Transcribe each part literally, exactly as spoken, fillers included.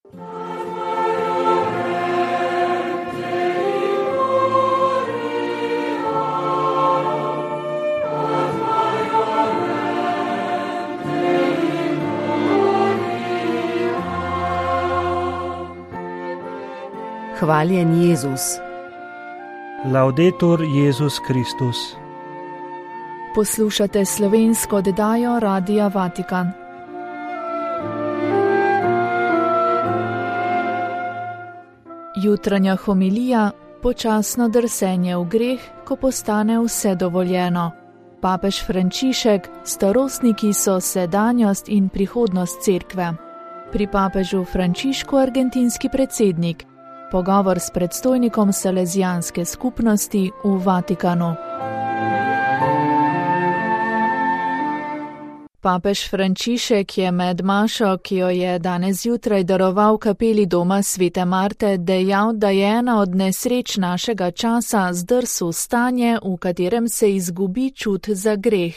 Hvaljen Jezus. Laudetur Jezus Kristus. Poslušate slovensko oddajo Radia Vatikan. Jutranja homilija, počasno drsenje v greh, ko postane vse dovoljeno. Papež Frančišek, starostniki so sedanjost in prihodnost cerkve. Pri papežu Frančišku argentinski predsednik. Pogovor s predstojnikom Salezijanske skupnosti v Vatikanu. Papež Frančišek je med mašo, ki jo je danes zjutraj daroval kapeli doma Svete Marte, dejal, da je ena od nesreč našega časa zdrs v stanje, v katerem se izgubi čut za greh.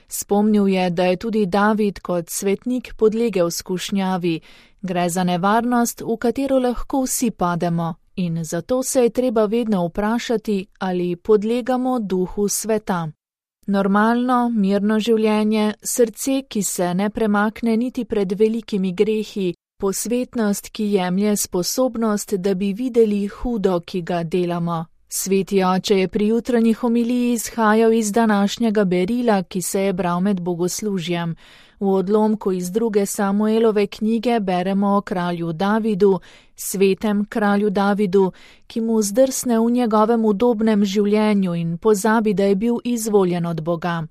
Spomnil je, da je tudi David kot svetnik podlegel skušnjavi. Gre za nevarnost, v katero lahko vsi pademo, in zato se je treba vedno vprašati, ali podlegamo duhu sveta. Normalno, mirno življenje, srce, ki se ne premakne niti pred velikimi grehi, posvetnost, ki jemlje sposobnost, da bi videli hudo, ki ga delamo. Sveti oče je pri jutranji homiliji izhajal iz današnjega berila, ki se je bral med bogoslužjem. V odlomku iz druge Samuelove knjige beremo o kralju Davidu, svetem kralju Davidu, ki mu zdrsne v njegovem udobnem življenju in pozabi, da je bil izvoljen od Boga.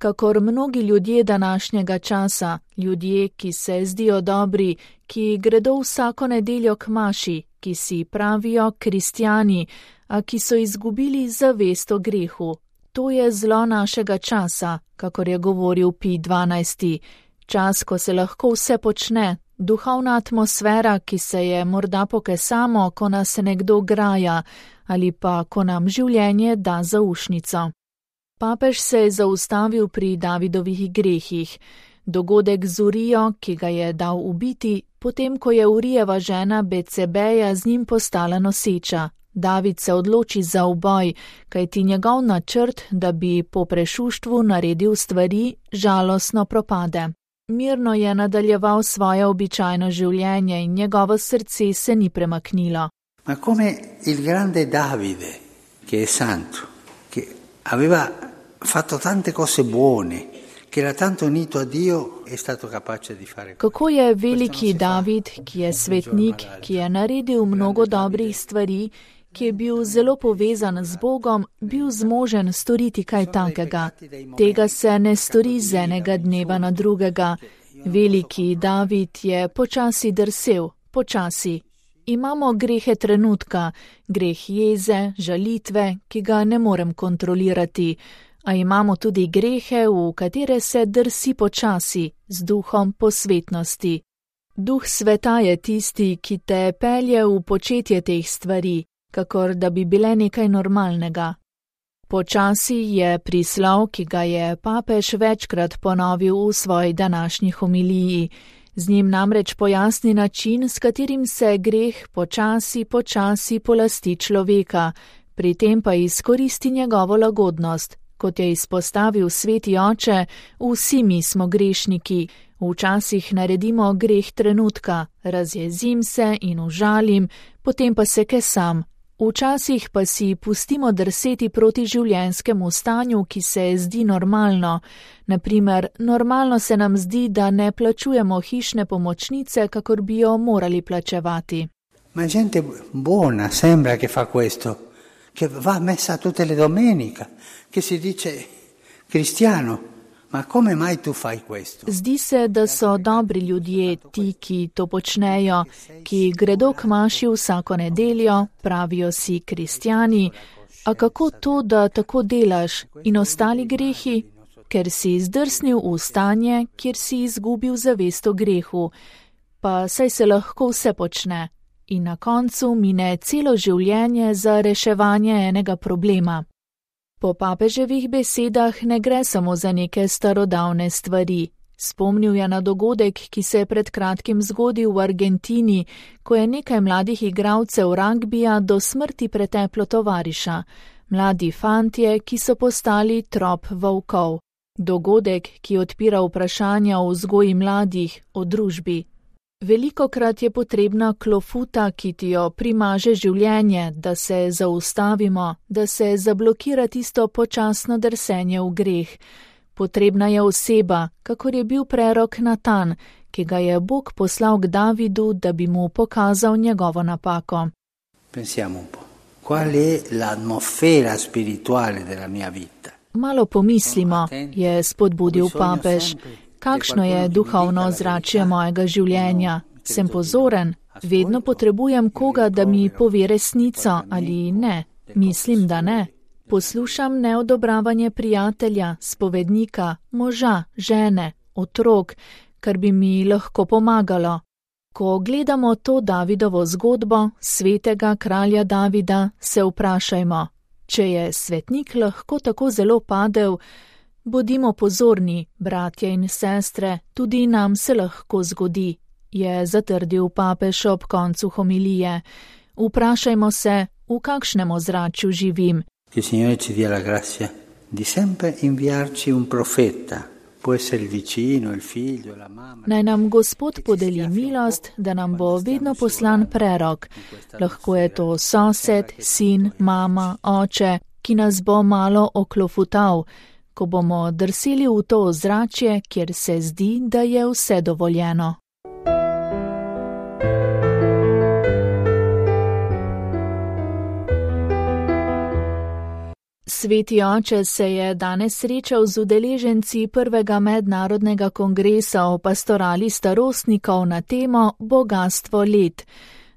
Kakor mnogi ljudje današnjega časa, ljudje, ki se zdijo dobri, ki gredo vsako nedeljo k maši, ki si pravijo kristjani, a ki so izgubili zavest o grehu. To je zlo našega časa, kakor je govoril Pij dvanajsti. Čas, ko se lahko vse počne, duhovna atmosfera, ki se je morda pokesamo, ko nas nekdo graja, ali pa ko nam življenje da zaušnico. Papež se je zaustavil pri Davidovih grehih. Dogodek z Urijo, ki ga je dal ubiti, potem ko je Urijeva žena Becebeja z njim postala noseča. David se odloči za uboj, kajti njegov načrt, da bi po prešuštvu naredil stvari, žalostno propade. Mirno je nadaljeval svoje običajno življenje in njegovo srce se ni premaknilo. Ma come il grande Davide, che è santo, che aveva fatto tante cose buone, che era tanto unito a Dio, è stato capace di fare. Kako je veliki David, ki je svetnik, ki je naredil mnogo dobrih stvari, ki je bil zelo povezan z Bogom, bil zmožen storiti kaj takega. Tega se ne stori z enega dneva na drugega. Veliki David je počasi drsel, počasi. Imamo grehe trenutka, greh jeze, žalitve, ki ga ne morem kontrolirati, a imamo tudi grehe, v katere se drsi počasi, z duhom posvetnosti. Duh sveta je tisti, ki te pelje v početje teh stvari, kakor da bi bile nekaj normalnega. Počasi je prislov, ki ga je papež večkrat ponovil v svoji današnji homiliji. Z njim namreč pojasni način, s katerim se greh počasi, počasi polasti človeka, pri tem pa izkoristi njegovo lagodnost. Kot je izpostavil sveti oče, vsi mi smo grešniki. Včasih naredimo greh trenutka, razjezim se in užalim, potem pa se kesam. Včasih pa si pustimo drseti proti življenjskemu stanju, ki se zdi normalno. Naprimer, normalno se nam zdi, da ne plačujemo hišne pomočnice, kakor bi jo morali plačevati. Ma gente buona sembra che fa questo, che va a messa tutte le domeniche, che si dice cristiano. Ma come mai tu fai questo? Zdi se, da so dobri ljudje ti, ki to počnejo, ki gredo k maši vsako nedeljo, pravijo si kristjani. A kako to, da tako delaš in ostali grehi? Ker si zdrsnil v stanje, kjer si izgubil zavest o grehu. Pa saj se lahko vse počne. In na koncu mine celo življenje za reševanje enega problema. Po papeževih besedah ne gre samo za neke starodavne stvari. Spomnil je na dogodek, ki se je pred kratkim zgodil v Argentini, ko je nekaj mladih igralcev ragbija do smrti preteplo tovariša, mladi fantje, ki so postali trop volkov. Dogodek, ki odpira vprašanja o vzgoji mladih, o družbi. Velikokrat je potrebna klofuta, ki ti jo primaže življenje, da se zaustavimo, da se zablokira tisto počasno drsenje v greh. Potrebna je oseba, kakor je bil prerok Natan, ki ga je Bog poslal k Davidu, da bi mu pokazal njegovo napako. Pensiamo un po'. Qual è l'atmosfera spirituale della mia vita? Malo pomislimo, je spodbudil papež. Kakšno je duhovno ozračje mojega življenja? Sem pozoren? Vedno potrebujem koga, da mi pove resnico ali ne? Mislim, da ne. Poslušam neodobravanje prijatelja, spovednika, moža, žene, otrok, kar bi mi lahko pomagalo. Ko gledamo to Davidovo zgodbo, svetega kralja Davida, se vprašajmo, če je svetnik lahko tako zelo padel, bodimo pozorni, bratje in sestre, tudi nam se lahko zgodi, je zatrdil papež ob koncu homilije. Vprašajmo se, v kakšnem ozračju živim. Che il Signore ci dia la grazia di sempre inviarci un profeta, può essere il vicino, il figlio, la mamma. Naj nam Gospod podeli milost, da nam bo vedno poslan prerok. Lahko je to sosed, sin, mama, oče, ki nas bo malo oklofutal, ko bomo drseli v to ozračje, kjer se zdi, da je vse dovoljeno. Sveti oče se je danes srečal z udeleženci prvega mednarodnega kongresa o pastorali starostnikov na temo Bogastvo let.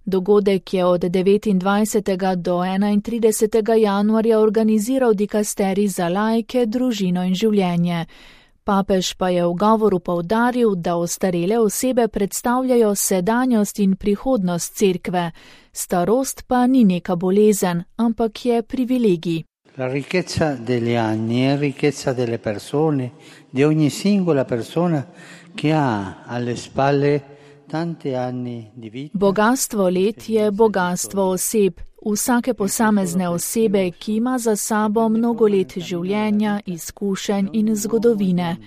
Dogodek je od devetindvajsetega do enaintridesetega januarja organiziral dikasterij za laike, družino in življenje. Papež pa je v govoru poudaril, da ostarele osebe predstavljajo sedanjost in prihodnost cerkve. Starost pa ni neka bolezen, ampak je privilegij. La ricchezza degli anni è ricchezza delle persone, di ogni singola persona che ha alle spalle tanti anni di vita. Bogastvo let je bogastvo oseb, vsake posamezne osebe, ki ima za sabo mnogo let življenja, izkušenj in zgodovine.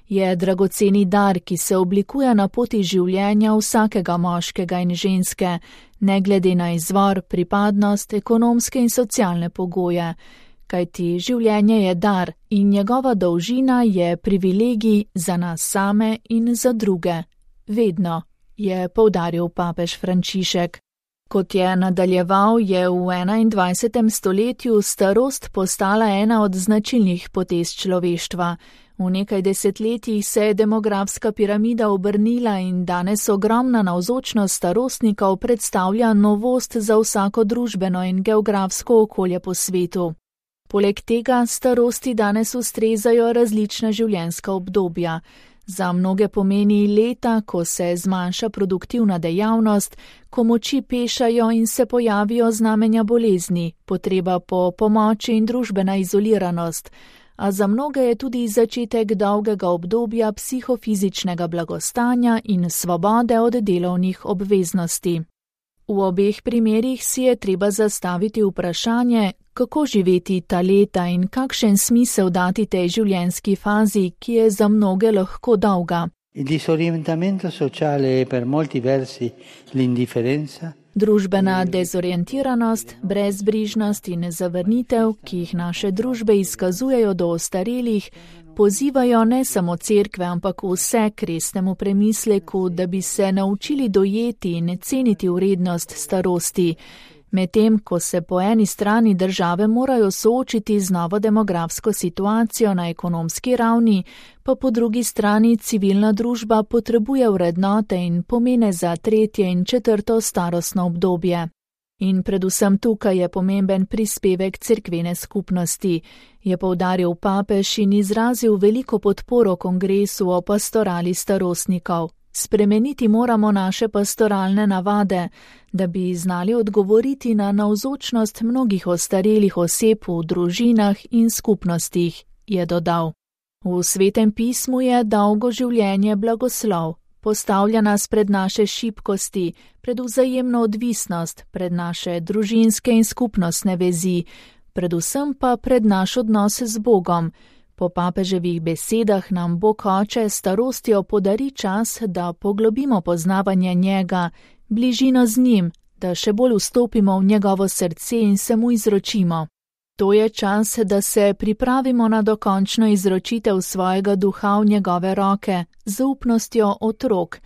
Je dragoceni dar, ki se oblikuje na poti življenja vsakega moškega in ženske, ne glede na izvor, pripadnost, ekonomske in socialne pogoje. Kajti življenje je dar in njegova dolžina je privilegij za nas same in za druge. Vedno, je poudaril papež Frančišek. Kot je nadaljeval, je v enaindvajsetem stoletju starost postala ena od značilnih potez človeštva. V nekaj desetletjih se je demografska piramida obrnila in danes ogromna navzočnost starostnikov predstavlja novost za vsako družbeno in geografsko okolje po svetu. Poleg tega starosti danes ustrezajo različna življenjska obdobja. Za mnoge pomeni leta, ko se zmanjša produktivna dejavnost, ko moči pešajo in se pojavijo znamenja bolezni, potreba po pomoči in družbena izoliranost, a za mnoge je tudi začetek dolgega obdobja psihofizičnega blagostanja in svobode od delovnih obveznosti. V obeh primerih si je treba zastaviti vprašanje, kako živeti ta leta in kakšen smisel dati tej življenjski fazi, ki je za mnoge lahko dolga. Il disorientamento sociale è per molti versi l'indifferenza. Družbena dezorientiranost, brezbrižnost in zavrnitev, ki jih naše družbe izkazujejo do ostarelih, pozivajo ne samo cerkve, ampak vse k resnemu premisleku, da bi se naučili dojeti in ceniti vrednost starosti. Medtem, ko se po eni strani države morajo soočiti z novo demografsko situacijo na ekonomski ravni, pa po drugi strani civilna družba potrebuje vrednote in pomene za tretje in četrto starostno obdobje. In predvsem tukaj je pomemben prispevek cerkvene skupnosti, je poudaril papež in izrazil veliko podporo kongresu o pastorali starostnikov. Spremeniti moramo naše pastoralne navade, da bi znali odgovoriti na navzočnost mnogih ostarelih oseb v družinah in skupnostih, je dodal. V Svetem pismu je dolgo življenje blagoslov. Postavlja nas pred naše šibkosti, pred vzajemno odvisnost, pred naše družinske in skupnostne vezi, predvsem pa pred naš odnos z Bogom. Po papeževih besedah nam Bog Oče s starostjo podari čas, da poglobimo poznavanje njega, bližino z njim, da še bolj vstopimo v njegovo srce in se mu izročimo. To je čas, da se pripravimo na dokončno izročitev svojega duha v njegove roke, z zaupnostjo otrok,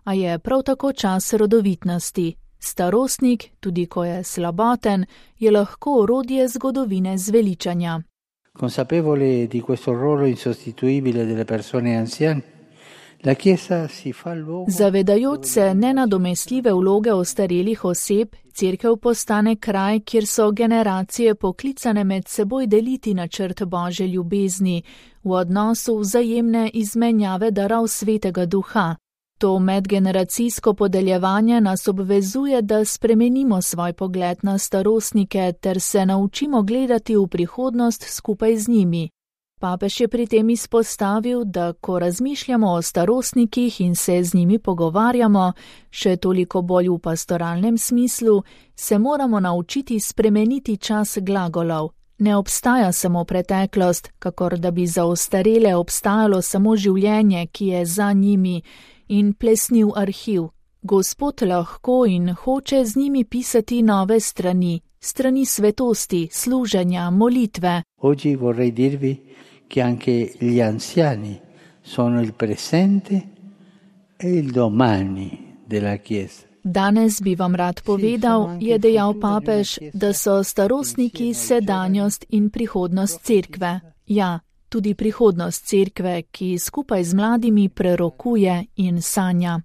a je prav tako čas rodovitnosti. Starostnik, tudi ko je slaboten, je lahko orodje zgodovine zveličanja. Consapevole di questo ruolo insostituibile delle persone anziane, la Chiesa si fa luogo. Zavedajoč se nenadomestljive vloge ostarelih oseb, Cerkev postane kraj, kjer so generacije poklicane med seboj deliti načrt Božje ljubezni, v odnosu vzajemne izmenjave darov Svetega Duha. To medgeneracijsko podeljevanje nas obvezuje, da spremenimo svoj pogled na starostnike ter se naučimo gledati v prihodnost skupaj z njimi. Papež je pri tem izpostavil, da ko razmišljamo o starostnikih in se z njimi pogovarjamo, še toliko bolj v pastoralnem smislu, se moramo naučiti spremeniti čas glagolov. Ne obstaja samo preteklost, kakor da bi za ostarele obstajalo samo življenje, ki je za njimi, in plesniv arhiv. Gospod lahko in hoče z njimi pisati nove strani, strani svetosti, služenja, molitve. Oggi vorrei dirvi che anche gli anziani sono il presente e il domani della Chiesa. Danes bi vam rad povedal, je dejal papež, da so starostniki sedanjost in prihodnost cerkve. Ja, tudi prihodnost cerkve, ki skupaj z mladimi prerokuje in sanja.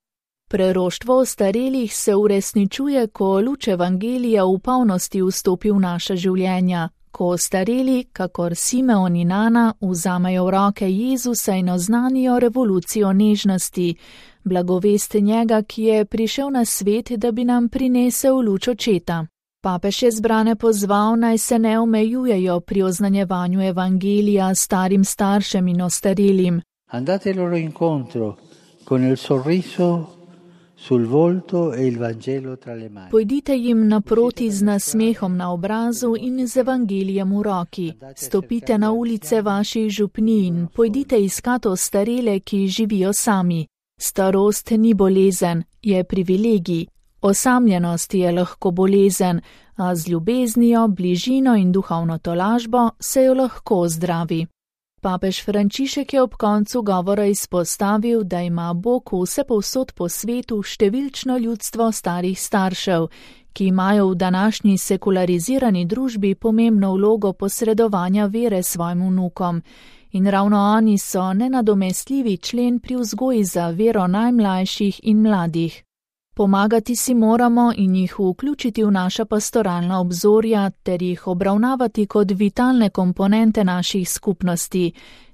Preroštvo ostarelih se uresničuje, ko luč evangelija v polnosti vstopi v naša življenja, ko ostareli, kakor Simeon in Ana, vzamejo v roke Jezusa in oznanijo revolucijo nežnosti, blagovest njega, ki je prišel na svet, da bi nam prinesel luč očeta. Papež je zbrane pozval, naj se ne omejujejo pri oznanjevanju evangelija starim staršem in ostarelim. Andate loro incontro con il sorriso sul volto e il Vangelo tra le mani. Pojdite jim naproti z nasmehom na obrazu in z evangelijem v roki. Stopite na ulice vaših župnij in pojdite iskat ostarele, ki živijo sami. Starost ni bolezen, je privilegij. Osamljenost je lahko bolezen, a z ljubeznijo, bližino in duhovno tolažbo se jo lahko zdravi. Papež Frančišek je ob koncu govora izpostavil, da ima Bog vsepovsod po svetu številčno ljudstvo starih staršev, ki imajo v današnji sekularizirani družbi pomembno vlogo posredovanja vere svojim vnukom. In ravno oni so nenadomestljivi člen pri vzgoji za vero najmlajših in mladih. Pomagati si moramo in jih vključiti v naša pastoralna obzorja ter jih obravnavati kot vitalne komponente naših skupnosti.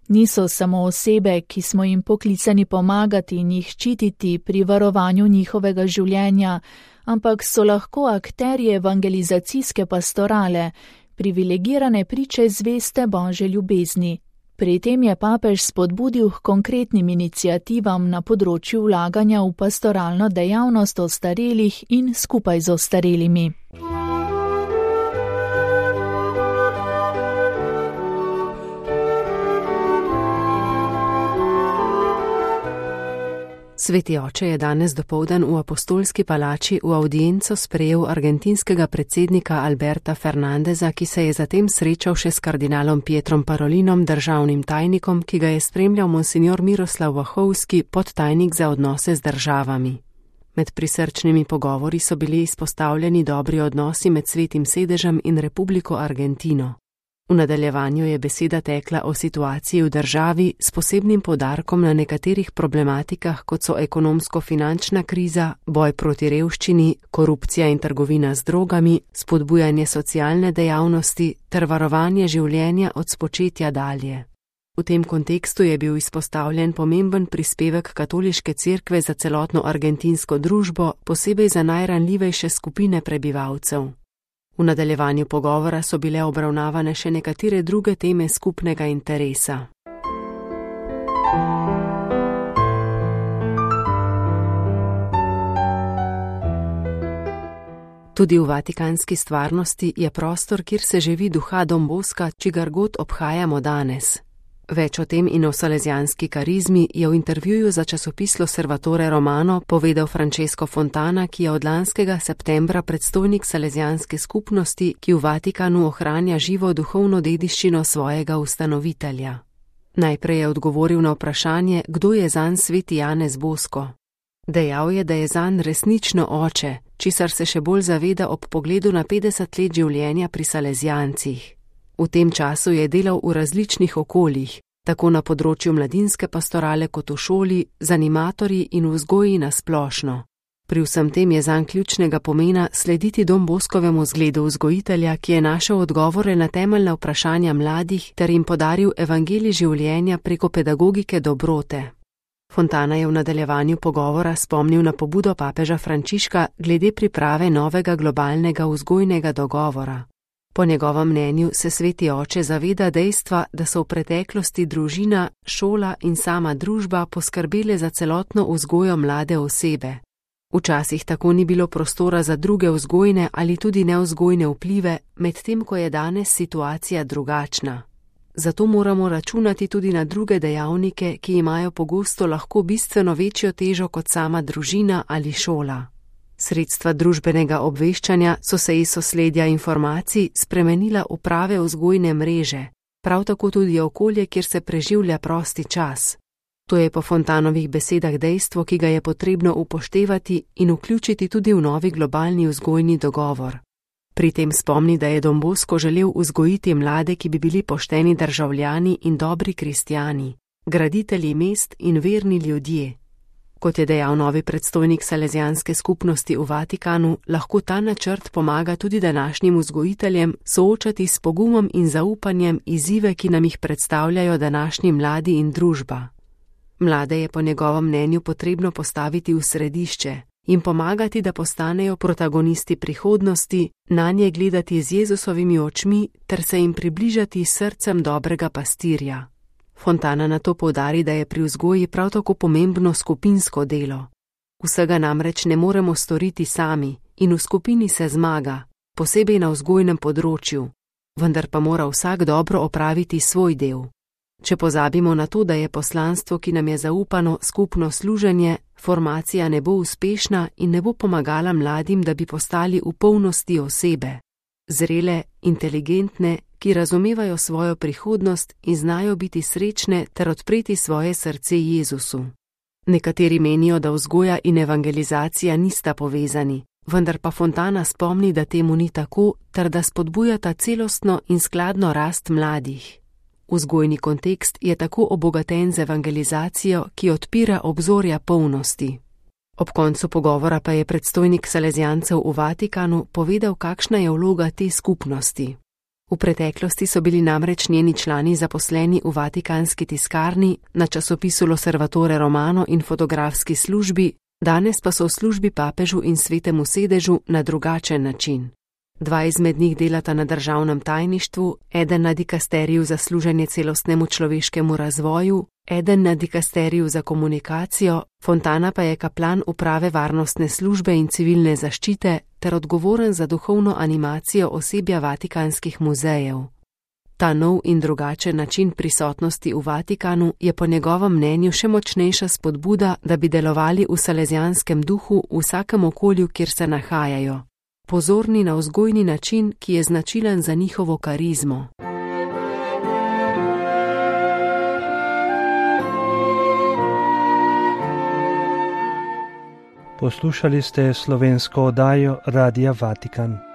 Niso samo osebe, ki smo jim poklicani pomagati in jih ščititi pri varovanju njihovega življenja, ampak so lahko akterji evangelizacijske pastorale, privilegirane priče zveste Božje ljubezni. Pri tem je papež spodbudil k konkretnim iniciativam na področju vlaganja v pastoralno dejavnost ostarelih in skupaj z ostarelimi. Sveti oče je danes dopoldan v Apostolski palači v audienco sprejel argentinskega predsednika Alberta Fernandeza, ki se je zatem srečal še s kardinalom Pietrom Parolinom, državnim tajnikom, ki ga je spremljal monsignor Miroslav Vahovski, podtajnik za odnose z državami. Med prisrčnimi pogovori so bili izpostavljeni dobri odnosi med Svetim sedežem in Republiko Argentino. V nadaljevanju je beseda tekla o situaciji v državi s posebnim poudarkom na nekaterih problematikah, kot so ekonomsko-finančna kriza, boj proti revščini, korupcija in trgovina z drogami, spodbujanje socialne dejavnosti ter varovanje življenja od spočetja dalje. V tem kontekstu je bil izpostavljen pomemben prispevek katoliške cerkve za celotno argentinsko družbo, posebej za najranljivejše skupine prebivalcev. V nadaljevanju pogovora so bile obravnavane še nekatere druge teme skupnega interesa. Tudi v vatikanski stvarnosti je prostor, kjer se živi duha Don Bosca, čigar god obhajamo danes. Več o tem in o salezijanski karizmi je v intervjuju za časopis L'Osservatore Romano povedal Francesco Fontana, ki je od lanskega septembra predstojnik salezijanske skupnosti, ki v Vatikanu ohranja živo duhovno dediščino svojega ustanovitelja. Najprej je odgovoril na vprašanje, kdo je zanj sveti Janez Bosco. Dejal je, da je zanj resnično oče, česar se še bolj zaveda ob pogledu na petdeset let življenja pri salezijancih. V tem času je delal v različnih okoljih, tako na področju mladinske pastorale kot v šoli, z animatorji in vzgoji na splošno. Pri vsem tem je zanj ključnega pomena slediti Don Boscovemu zgledu vzgojitelja, ki je našel odgovore na temeljna vprašanja mladih ter jim podaril evangelij življenja preko pedagogike dobrote. Fontana je v nadaljevanju pogovora spomnil na pobudo papeža Frančiška glede priprave novega globalnega vzgojnega dogovora. Po njegovem mnenju se sveti oče zaveda dejstva, da so v preteklosti družina, šola in sama družba poskrbele za celotno vzgojo mlade osebe. Včasih tako ni bilo prostora za druge vzgojne ali tudi nevzgojne vplive, medtem ko je danes situacija drugačna. Zato moramo računati tudi na druge dejavnike, ki imajo pogosto lahko bistveno večjo težo kot sama družina ali šola. Sredstva družbenega obveščanja so se iz sosledja informacij spremenila v prave vzgojne mreže, prav tako tudi okolje, kjer se preživlja prosti čas. To je po Fontanovih besedah dejstvo, ki ga je potrebno upoštevati in vključiti tudi v novi globalni vzgojni dogovor. Pri tem spomni, da je Don Bosco želel vzgojiti mlade, ki bi bili pošteni državljani in dobri kristjani, graditelji mest in verni ljudje. Kot je dejal novi predstojnik salezijanske skupnosti v Vatikanu, lahko ta načrt pomaga tudi današnjim vzgojiteljem soočati s pogumom in zaupanjem izzive, ki nam jih predstavljajo današnji mladi in družba. Mlade je po njegovem mnenju potrebno postaviti v središče in pomagati, da postanejo protagonisti prihodnosti, nanje gledati z Jezusovimi očmi ter se jim približati s srcem dobrega pastirja. Fontana nato poudari, da je pri vzgoji prav tako pomembno skupinsko delo. Vsega namreč ne moremo storiti sami in v skupini se zmaga, posebej na vzgojnem področju, vendar pa mora vsak dobro opraviti svoj del. Če pozabimo na to, da je poslanstvo, ki nam je zaupano, skupno služenje, formacija ne bo uspešna in ne bo pomagala mladim, da bi postali v polnosti osebe, zrele, inteligentne, ki razumevajo svojo prihodnost in znajo biti srečne ter odpreti svoje srce Jezusu. Nekateri menijo, da vzgoja in evangelizacija nista povezani, vendar pa Fontana spomni, da temu ni tako, ter da spodbujata celostno in skladno rast mladih. Vzgojni kontekst je tako obogaten z evangelizacijo, ki odpira obzorja polnosti. Ob koncu pogovora pa je predstojnik salezijancev v Vatikanu povedal, kakšna je vloga te skupnosti. V preteklosti so bili namreč njeni člani zaposleni v vatikanski tiskarni, na časopisu L'Osservatore Romano in fotografski službi, danes pa so v službi papežu in svetemu sedežu na drugačen način. Dva izmed njih delata na državnem tajništvu, eden na dikasteriju za služenje celostnemu človeškemu razvoju, eden na dikasteriju za komunikacijo, Fontana pa je kaplan uprave varnostne službe in civilne zaščite ter odgovoren za duhovno animacijo osebja vatikanskih muzejev. Ta nov in drugačen način prisotnosti v Vatikanu je po njegovem mnenju še močnejša spodbuda, da bi delovali v salezijanskem duhu v vsakem okolju, kjer se nahajajo. Pozorni na vzgojni način, ki je značilen za njihovo karizmo. Poslušali ste slovensko oddajo Radia Vatikan.